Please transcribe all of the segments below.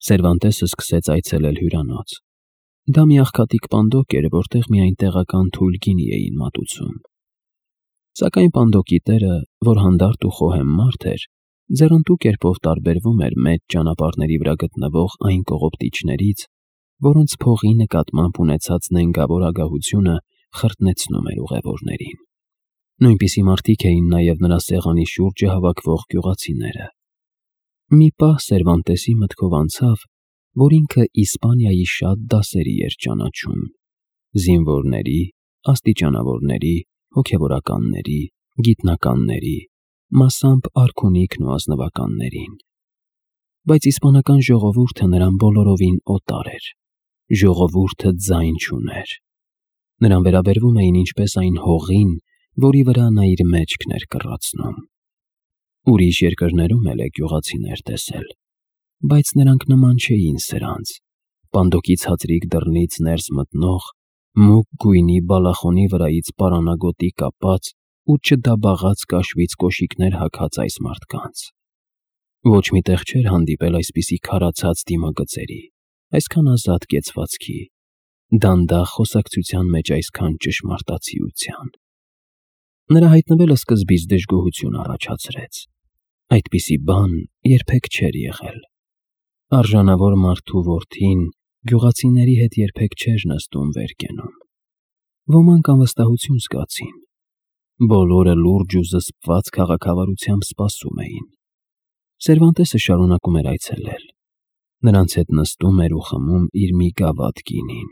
Սերվանտեսը սկսեց այցելել հյուրանոց։ Դա մի աղքատիկ պանդոկ էր, որտեղ միայն տեղական թույլ գինի էին մատուցում։ Սակայն պանդոկի տերը, որ հանդարտ ու խոհեմ մարդ էր, ձեռնտու կերպով տարբերվում էր մեծ ճանապարհների վրա գտնվող այն կողոպտիչներից, որոնց փողի նկատմամբ ունեցած նենգավոր ագահությունը խրտնեցնում էր ուղևորներին։ Նույնպիսի մարդիկ էին նաև նրա սեղանի շուրջը հավաքվող գյուղացիները։ Մի պահ Սերվանտեսի մտքով անցավ, որ ինքը Իսպանիայի շատ դասերի էր ճանաչում՝ զինվորների, աստիճանավորների, հոգևորականների, գիտնականների, մասամբ արքունիքն ու ազնվականներին։ Բայց իսպանական ժողովուրդը նրան բոլորովին օտար էր, ժողովուրդը ձայն չուներ։ Նրան վերաբերվում էին ինչպես այն հողին, որի վրա նա իր մեջքն էր կռացնում։ Ուրիշ երկրներում էլ է գյուղացիներ տեսել, բայց նրանք նման չէին սրանց, պանդոկի ցածրիկ դռնից ներս մտնող, մուգ գույնի բալախոնի վրայից պարանագոտի կապած ու չդաբաղած կաշվից կոշիկներ հագած այս մարդկանց։ Ոչ մի տեղ չէր հանդիպել այսպիսի քարացած դիմագծերի, այսքան ազատ կեցվածքի, դանդաղ խոսակցության մեջ այսքան ճշմարտացիության։ Նրա հայտնվելը սկզբից դժգոհություն առաջացրեց։ Այդպիսի բան երբեք չէր եղել։ Արժանավոր մարդու որդին գյուղացիների հետ երբեք չէր նստում վերկենում։ Ոմանք անվստահություն զգացին։ Բոլորը լուրջ ու զսպված քաղաքավարությամբ սպասում էին։ Սերվանտեսը շարունակում էր այցելել։ Նրանց հետ նստում էր ու խմում իր մի գավաթ գինին։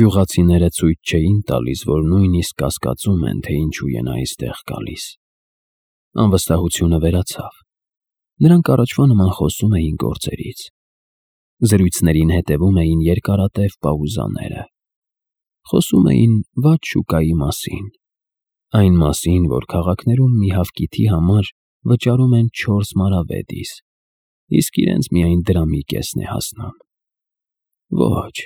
Գյուղացիները ցույց չէին տալիս, որ նույնիսկ կասկածում են, թե ինչու են այստեղ գալիս։ Անվստահությունը վերացավ։ Նրանք առաջվա նման խոսում էին գործերից։ Զրույցներին հետևում էին երկարատև պաուզաները։ Խոսում էին վատ շուկայի մասին։ Այն մասին, որ քաղաքներում մի հավկիթի համար վճարում են 4 մարավեդիս, իսկ իրենց միայն դրամի կեսն է հասնում։ Ոչ,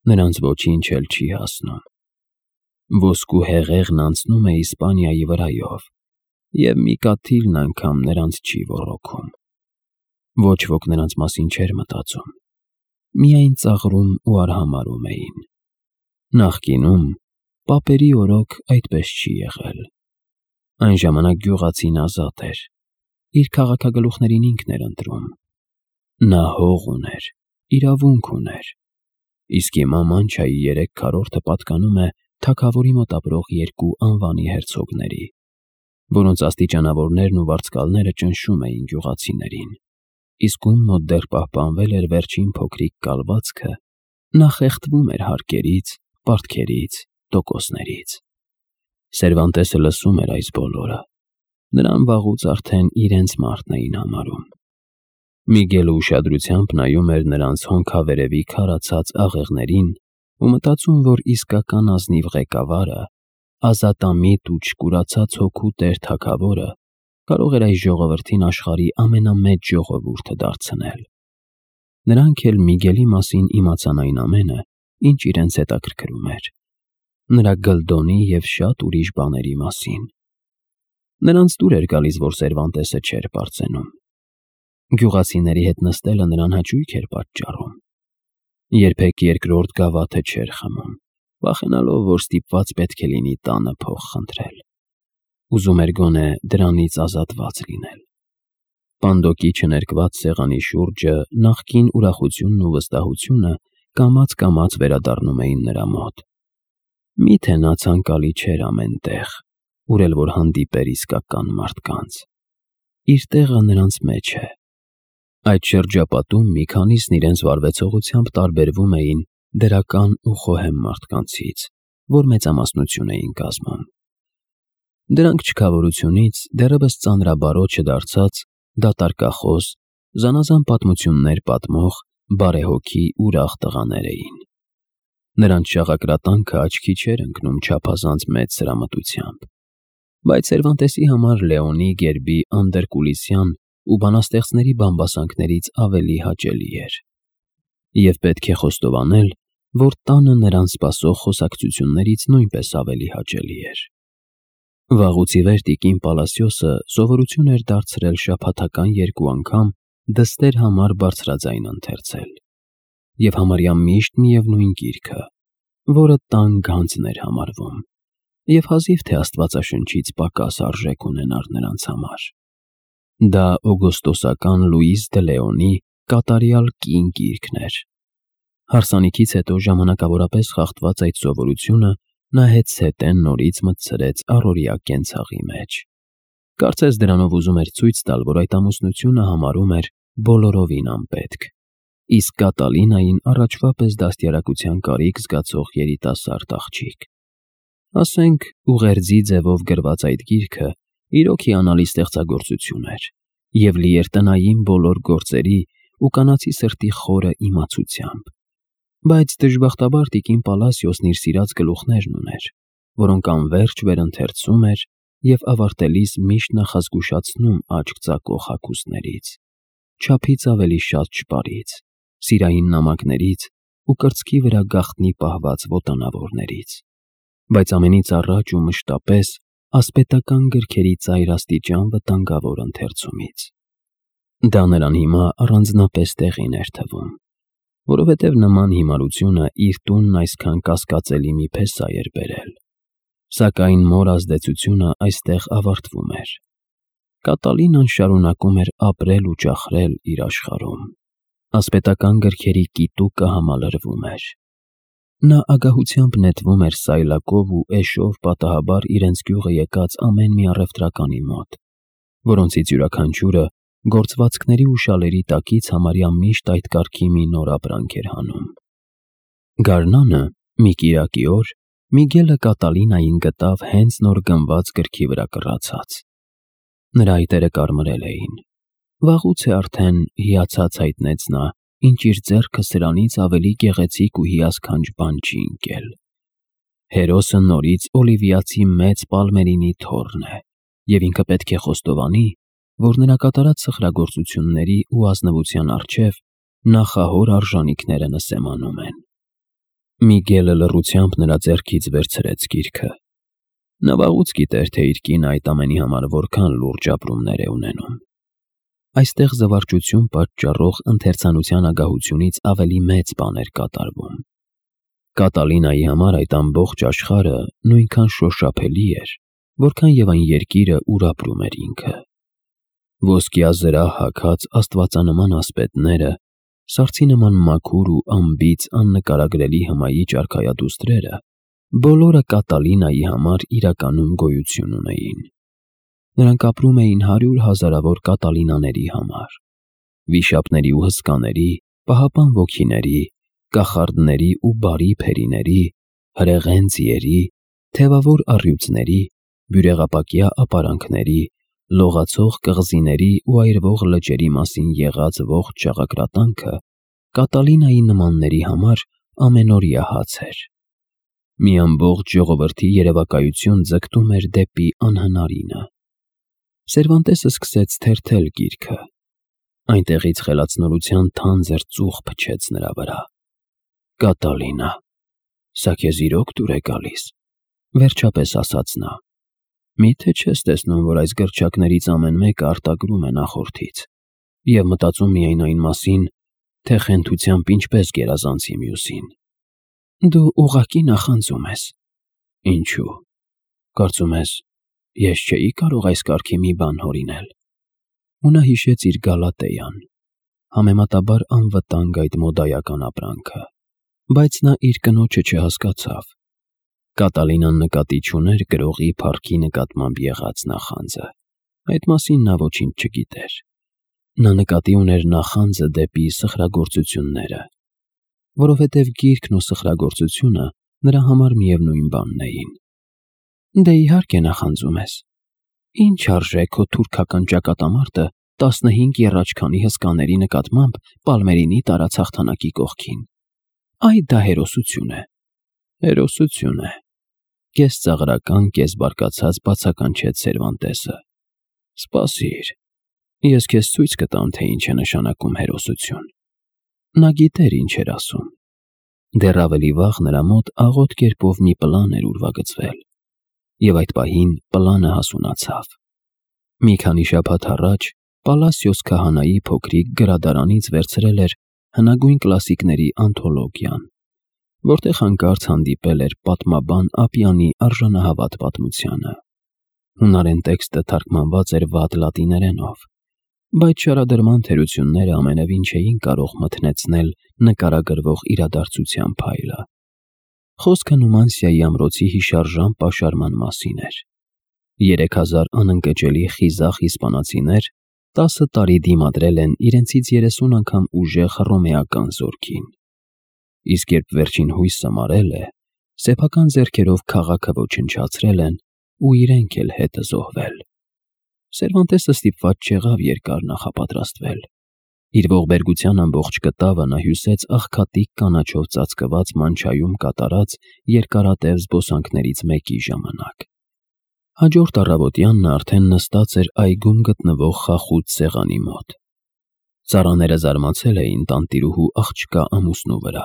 նրանց ոչինչ էլ չի հասնում։ Ոսկու հեղեղն անցնում է Իսպանիայի վրայով, և մի կաթիլն անգամ նրանց չի ոռոգում։ Ոչ ոք նրանց մասին չէր մտածում, միայն ծաղրում ու արհամարհում էին։ Նախկինում պապերի օրոք այդպես չի եղել։ Այն ժամանակ գյուղացին ազատ էր, իր քաղաքագլուխներին ինքն էր ընտրում։ Նա հող ուներ, իրավունք ուներ, իսկ հիմա Մանչայի 3/4 պատկանում է թագավորի մոտ ապրող 2 անվանի հերցոգների, որոնց աստիճանավորներն ու վարձկալները ճնշում էին գյուղացիներին, իսկ ում մոտ դեռ պահպանվել էր վերջին փոքրիկ կալվածքը, նա խեղդվում էր հարկերից, պարտքերից, տոկոսներից։ Սերվանտեսը լսում էր այս բոլորը։ Նրան վաղուց արդեն իրենց մարդն էին համարում։ Միգելը ուշադրությամբ նայում էր նրանց հոնքավերևի քարացած աղեղներին ու մտածում, որ իսկական ազնիվ ղեկավարը, ազատամիտ ու չկուրացած հոգու տեր թագավորը կարող էր այս ժողովրդին աշխարհի ամենամեծ ժողովուրդը դարձնել։ Նրանք էլ Միգելի մասին իմացան այն ամենը, ինչ իրենց հետաքրքրում էր, նրա գլդոնի և շատ ուրիշ բաների մասին։ Նրանց դուր էր գալիս, որ Սերվանտեսը չէր պարծենում։ Գյուղացիների հետ նստելը նրան հաճույք էր պատճառում։ Երբեք երկրորդ գավաթը չէր խմում, վախենալով, որ ստիպված պետք է լինի տանը փող խնդրել։ Ուզում էր գոնե դրանից ազատված լինել։ Պանդոկի չներկված սեղանի շուրջը նախկին ուրախությունն ու վստահությունը կամաց-կամաց վերադառնում էին նրա մոտ։ Միթե նա ցանկալի չէր ամեն տեղ, ուր էլ որ հանդիպեր իսկական մարդկանց։ Իր տեղը նրանց մեջ է։ Այդ շրջապատում մի քանիսն իրենց վարվեցողությամբ տարբերվում էին դրական ու խոհեմ մարդկանցից, որ մեծամասնություն էին կազմում։ Դրանք չքավորությունից դեռևս ծանրաբարոյ չդարձած դատարկախոս, զանազան պատմություններ պատմող բարեհոգի ուրախ տղաներ էին։ Նրանց շաղակրատանքը աչքի չէր ընկնում չափազանց մեծ սրամտությամբ, բայց Սերվանտեսի համար Լեոնի գերբի անդերկուլիսյան ու բանաստեղծների բամբասանքներից ավելի հաճելի էր։ Եվ պետք է խոստովանել, որ տանը նրան սպասող խոսակցություններից նույնպես ավելի հաճելի էր։ Վաղուց ի վեր տիկին Պալասիոսը սովորություն էր դարձրել շաբաթական 2 անգամ դստեր համար բարձրաձայն ընթերցել, և համարյա միշտ միևնույն գիրքը, որը տան գանձն էր համարվում, և հազիվ թե Աստվածաշնչից պակաս արժեք ունենար նրանց համար։ Դա օգոստոսական Լուիս դե Լեոնի կատարյալ կին գիրքն էր։ Հարսանիքից հետո ժամանակավորապես խախտված այդ սովորությունը նա հետզհետե նորից մտցրեց առօրյա կենցաղի մեջ։ Կարծես դրանով ուզում էր ցույց տալ, որ այդ ամուսնությունը համարում էր բոլորովին անպետք, իսկ Կատալինային առաջվա պես դաստիարակության կարիք զգացող երիտասարդ աղջիկ։ Ասենք, ուղերձի ձևով գրված այդ գիրքը իրոք հիանալի ստեղծագործություն էր և լի էր տնային բոլոր գործերի ու կանացի սրտի խորը իմացությամբ, բայց դժբախտաբար տիկին Պալասիոսն իր սիրած գլուխներն ուներ, որոնք անվերջ վերընթերցում էր և ավարտելիս միշտ նախազգուշացնում աչք ծակող հագուստներից, չափից ավելի շատ չպարից, սիրային նամակներից ու կրծքի վրա գաղտնի պահված ոտանավորներից, բայց ամենից առաջ ու մշտապես ասպետական գրքերի ծայրաստիճան վտանգավոր ընթերցումից։ Դա նրան հիմա առանձնապես տեղին էր թվում, որովհետև նման հիմարությունը իր տունն այսքան կասկածելի մի փեսա էր բերել, սակայն մոր ազդեցությունը այստեղ ավարտվում էր։ Կատալինան շարունակում էր ապրել ու ճախրել իր աշխարհում, ասպետական գրքերի կիտուկը համալրվում էր։ Նա ագահությամբ նետվում էր սայլակով ու էշով պատահաբար իրենց գյուղը եկած ամեն մի առևտրականի մոտ, որոնցից յուրաքանչյուրը գործվածքների ու շալերի տակից համարյա միշտ այդ կարգի մի նոր ապրանք էր հանում։ Գարնանը մի կիրակի օր Միգելը Կատալինային գտավ հենց նոր գնված գրքի վրա կռացած։ Նրա այտերը կարմրել էին։ Վաղուց է արդեն հիացած հայտնեց նա, ինչ իր ձեռքը սրանից ավելի գեղեցիկ ու հիասքանչ բան չի ընկել։ Հերոսը նորից Օլիվիացի մեծ Պալմերինի թոռն է, և ինքը պետք է խոստովանի, որ նրա կատարած սխրագործությունների ու ազնվության առջև նախահոր արժանիքները նսեմանում են։ Միգելը լռությամբ նրա ձեռքից վերցրեց գիրքը։ Նա վաղուց գիտեր, թե իր կինը այդ ամենի համար որքան լուրջ ապրումներ է ունենում։ Այստեղ զվարճություն պատճառող ընթերցանության ագահությունից ավելի մեծ բան էր կատարվում։ Կատալինայի համար այդ ամբողջ աշխարհը նույնքան շոշափելի էր, որքան և այն երկիրը, ուր ապրում էր ինքը։ Ոսկյա զրահ հագած աստվածանման ասպետները, սառցի նման մաքուր ու անբիծ աննկարագրելի հմայիչ արքայադուստրերը բոլորը Կատալինայի համար իրականում գոյություն ունեին։ Նրանք ապրում էին 100 հազարավոր կատալինաների համար, վիշապների ու հսկաների, պահապան ոգիների, կախարդների ու բարի փերիների, հրեղեն ձիերի, թևավոր առյուծների, բյուրեղապակյա ապարանքների, լողացող կղզիների ու այրվող լճերի մասին եղած ողջ ճաղակրատանքը Կատալինայի նմանների համար ամենօրյա հաց էր։ Մի ամբողջ ժողովրդի երևակայություն ձգտում էր դեպի անհնարինը։ Սերվանտեսը սկսեց թերթել գիրքը։ Այնտեղից խելացնորության թանձր ծուխ փչեց նրա վրա։ Կատալինա, սա քեզ իրոք դուր է գալիս, վերջապես ասաց նա։ Միթե չես տեսնում, որ այս գրչակներից ամեն մեկը արտագրում է նախորդից, և մտածում միայն այն մասին, թե խենթությամբ ինչպես գերազանցի մյուսին։ Դու ուղղակի նախանձում ես։ Ինչու՞։ Կարծում ես, ես չէի կարող այս կարգի մի բան հորինել։ Ու նա հիշեց իր Գալատեյան, համեմատաբար անվտանգ այդ մոդայական ապրանքը, բայց նա իր կնոջը չհասկացավ։ Կատալինան նկատի չուներ գրողի փառքի նկատմամբ եղած նախանձը։ Այդ մասին նա ոչինչ չգիտեր։ Նա նկատի ուներ նախանձը դեպի սխրագործությունները, որովհետև գիրքն ու սխրագործությունը նրա համար միևնույն բանն էին։ Դե իհարկե նախանձում ես։ Ինչ արժե քո թուրքական ճակատամարտը 15 եռաչքանի հսկաների նկատմամբ Պալմերինի տարած հաղթանակի կողքին։ Այ դա հերոսություն է։ Հերոսություն է։ Կես ծաղրական, կես բարկացած բացականչեց Սերվանտեսը։ Սպասիր, ես քեզ ցույց կտամ, թե ինչ է նշանակում հերոսություն։ Նա գիտեր ինչ էր ասում։ Դեռ ավելի վաղ նրա մոտ աղոտ կերպով մի պլան էր ուրվագծվել, և այդ պահին պլանը հասունացավ։ Մի քանի շաբաթ առաջ Պալասիոս քահանայի փոքրիկ գրադարանից վերցրել էր հնագույն կլասիկների անթոլոգիան, որտեղ հանկարծ հանդիպել էր պատմաբան Ապիանի արժանահավատ պատմությանը։ Հունարեն տեքստը թարգմանված էր վատ լատիներենով, բայց շարադրման թերությունները ամենևին չէին կարող մթնեցնել նկարագրվող իրադարձության փայլը։ Խոսքը Նումանսիայի ամրոցի հիշարժան պաշարման մասին էր։ 3000 անընկճելի խիզախ իսպանացիներ 10 տարի դիմադրել են իրենցից 30 անգամ ուժեղ հռոմեական զորքին։ Իսկ երբ վերջին հույսը մարել է, սեփական ձեռքերով քաղաքը ոչնչացրել են ու իրենք էլ հետը զոհվել։ Սերվանտեսը ստիպված չեղավ երկար նախապատրաստվել։ Իր ողբերգության ամբողջ կտավը նա հյուսեց աղքատիկ կանաչով ծածկված մանչայում կատարած երկարատև զբոսանքներից մեկի ժամանակ։ Հաջորդ առավոտյան նա արդեն նստած էր այգում գտնվող խախուտ սեղանի մոտ։ Ծառաները զարմացել էին տանտիրուհու աղջկա ամուսնու վրա,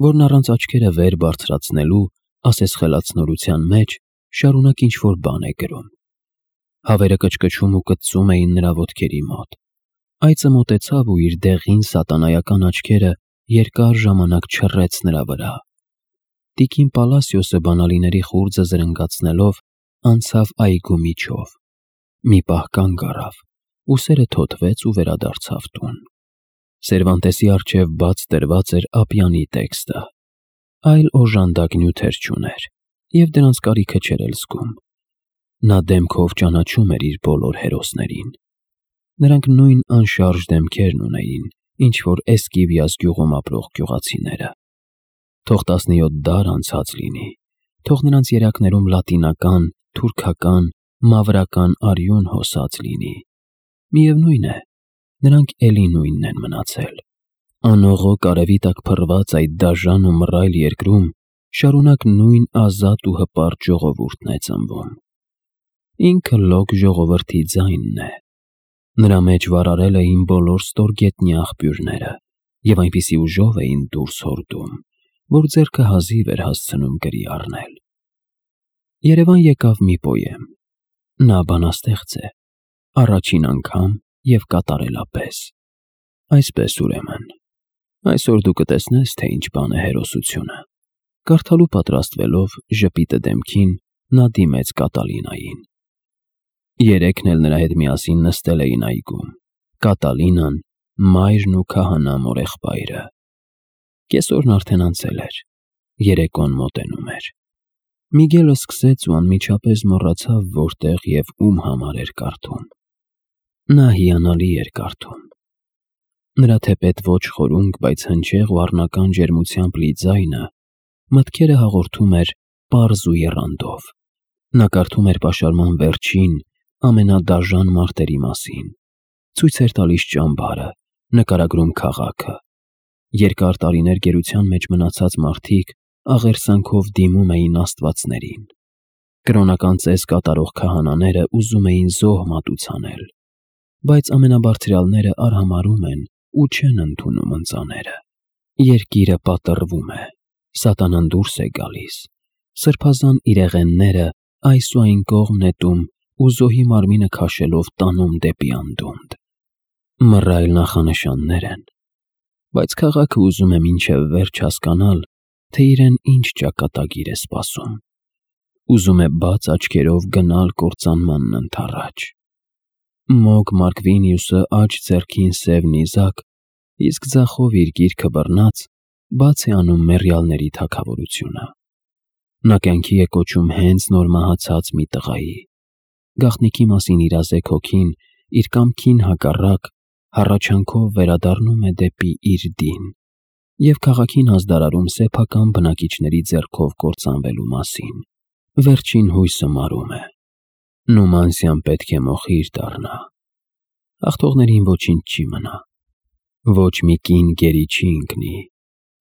որն առանց աչքերը վեր բարձրացնելու ասես-խելացնորության մեջ շարունակ ինչ-որ բան է գրում։ Հավերը կչկչում ու կծում էին նրա ոտքերի մոտ։ Այծը մոտեցավ ու իր դեղին սատանայական աչքերը երկար ժամանակ չռեց նրա վրա։ Տիկին Պալասիոսը բանալիների խուրձը զրնգացնելով անցավ այգու միջով։ Մի պահ կանգ առավ, ուսերը թոթվեց ու վերադարձավ տուն։ Սերվանտեսի առջև բաց դրված էր Ապիանի տեքստը, այլ օժանդակ նյութեր չուներ, և դրանց կարիքը չէր էլ զգում։ Նա դեմքով ճանաչում էր իր բոլոր հերոսներին։ Նրանք նույն անշարժ դեմքերն ունեին, ինչ որ Էսկիվիաս գյուղում ապրող գյուղացիները։ Թող 17 դար անցած լինի, թող նրանց երակներում լատինական, թուրքական, մավրական արյուն հոսած լինի։ Միևնույն է, նրանք էլի նույնն են մնացել։ Անողոք արևի տակ փռված այդ դաժան ու մռայլ երկրում շարունակ նույն ազատ ու հպարտ ժողովուրդն է ծնվում։ Ինքը լոկ ժողովրդի ձայնն է։ Նրա մեջ վարարել էին բոլոր ստորգետնյա աղբյուրները և այնպիսի ուժով էին դուրս հորդում, որ ձեռքը հազիվ էր հասցնում գրի առնել։ Երևան եկավ մի պոեմ։ Նա բանաստեղծ է, առաջին անգամ և կատարելապես։ Այսպես ուրեմն, այսօր դու կտեսնես, թե ինչ բան է հերոսությունը։ Կարդալու պատրաստվելով ժպիտը դեմքին, նա դիմեց Կատալինային։ Երեքն էլ նրա հետ միասին նստել էին այգում՝ Կատալինան, մայրն ու քահանա մորեղբայրը։ Կեսօրն արդեն անցել էր, երեկոն մոտենում էր։ Միգելը սկսեց ու անմիջապես մոռացավ որտեղ և ում համար էր կարդում։ Նա հիանալի էր կարդում։ Նրա թեպետ ոչ խորունկ, բայց հնչեղ ու առնական ջերմությամբ լի ձայնը մտքերը հաղորդում էր պարզ ու եռանդով։ Նա կարդում էր պաշարման վերջին, ամենադաժան մարտերի մասին, ցույց էր տալիս ճամբարը, նկարագրում քաղաքը։ Երկար տարիներ գերության մեջ մնացած մարդիկ աղերսանքով դիմում էին աստվածներին։ Կրոնական ծես կատարող քահանաները ուզում էին զոհ մատուցանել, բայց ամենաբարձրյալները արհամարհում են ու չեն ընդունում ընծաները։ Երկիրը պատռվում է, սատանան դուրս է գալիս, սրբազան իրեղենները այս ու այն կողմ նետում ու զոհի մարմինը քաշելով տանում դեպի անդունդը։ Մռայլ նախանշաններ են, բայց քաղաքը ուզում է մինչև վերջ հասկանալ, թե իրեն ինչ ճակատագիր է սպասում։ Ուզում է բաց աչքերով գնալ կործանմանն ընդառաջ։ Մոգ Մարկվինիուսը աջ ձեռքին սև նիզակ, իսկ ձախով իր գիրքը բռնած բաց է անում մեռյալների թագավորությունը։ Նա կյանքի է կոչում հենց նոր մահացած մի տղայի։ Գաղտնիքի մասին իրազեկ հոգին իր կամքին հակառակ հառաչանքով վերադառնում է դեպի իր դին և քաղաքին ազդարարում սեփական բնակիչների ձեռքով կործանվելու մասին։ Վերջին հույսը մարում է։ Նումանսիան պետք է մոխիր դառնա։ Հաղթողներին ոչինչ չի մնա։ Ոչ մի կին գերի չի ընկնի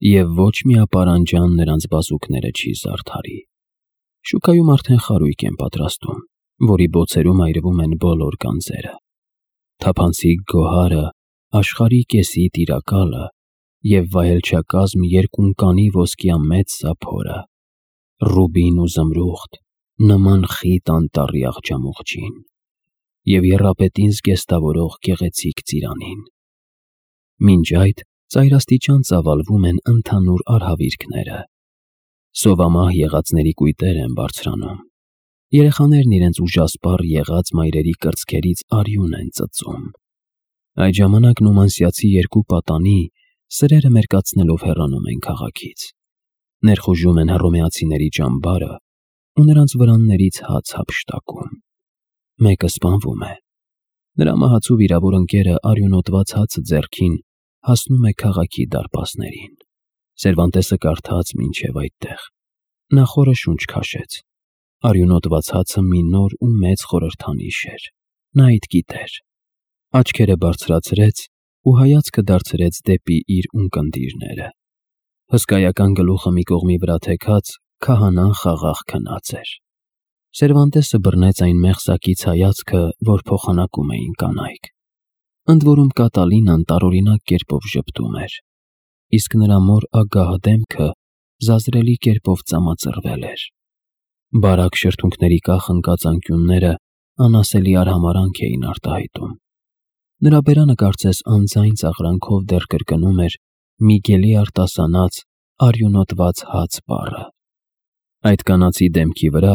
և ոչ մի ապարանջան նրանց բազուկները չի զարդարի։ Շուկայում արդեն խարույկ են պատրաստում, որի բոցերում այրվում են բոլոր գանձերը։ Թափանցիկ գոհարը, աշխարհի կեսի տիրակալը և վայելչակազմ երկունականի ոսկյա մեծ սափորը, ռուբին ու զմրուխտ, նման խիտ անտառի աղջամուղջին։ և եռապետին զգեստավորող գեղեցիկ ծիրանին։ Մինչ այդ ծայրաստիճան ծավալվում են ընդհանուր արհավիրքները։ Սովամահ եղածների կույտեր են բարձրանում։ Երեխաներն իրենց ուժասպառ եղած մայրերի կրծքերից արյուն են ծծում։ Այդ ժամանակ նումանսիացի երկու պատանի սրերը մերկացնելով հեռանում են քաղաքից։ Ներխուժում են հռոմեացիների ճամբարը ու նրանց վրաններից հաց հափշտակում։ Մեկը սպանվում է։ Նրա մահացու վիրավոր ընկերը արյունոտված հացը ձեռքին հասնում է քաղաքի դարպասներին։ Սերվանտեսը կարդաց մինչև այդտեղ։ Նա խորը շունչ քաշեց։ Արյունոտված հացը մի նոր ու մեծ խորհրդանիշ էր։ Նա այդ գիտեր։ Աչքերը բարձրացրեց ու հայացքը դարձրեց դեպի իր ունկնդիրները։ Հսկայական գլուխը մի կողմի վրա թեքած, քահանան խաղաղ քնած էր։ Սերվանտեսը բռնեց այն մեղսակից հայացքը, որ փոխանակում էին կանայք։ Ընդ որում Կատալինան տարօրինակ կերպով ժպտում էր, իսկ նրա մոր ագահ դեմքը զազրելի կերպով ծամածրվել էր։ Բարակ շրթունքների կախ ընկած անկյունները անասելի արհամարհանք էին արտահայտում։ Նրա բերանը կարծես անձայն ծաղրանքով դեռ կրկնում էր Միգելի արտասանած արյունոտված հաց բառը։ Այդ կանացի դեմքի վրա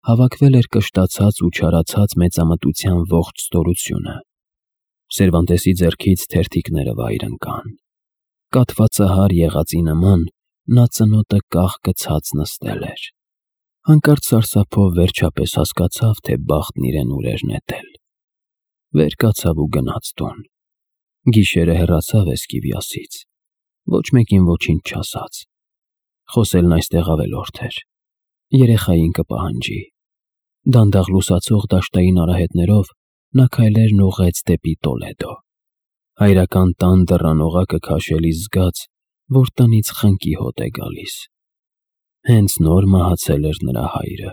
հավաքվել էր կշտացած ու չարացած մեծամտության ողջ ստորությունը։ Սերվանտեսի ձեռքից թերթիկները վայր ընկան։ Կաթվածահար եղածի նման նա ծնոտը կախ գցած նստել էր։ Հանկարծ սարսափով վերջապես հասկացավ, թե բախտն իրեն ուր էր նետել։ Վեր կացավ ու գնաց տուն։ Գիշերը հեռացավ Էսկիվիասից։ Ոչ մեկին ոչինչ չասաց։ Խոսելն այստեղ ավելորդ էր։ Երեխային կպահանջի։ Դանդաղ լուսացող դաշտային արահետներով նա քայլերն ուղղեց դեպի Տոլեդո։ Հայրական տան դռան օղակը քաշելիս զգաց, որ տնից խնկի հոտ է գալիս։ Հենց նոր մահացել էր նրա հայրը։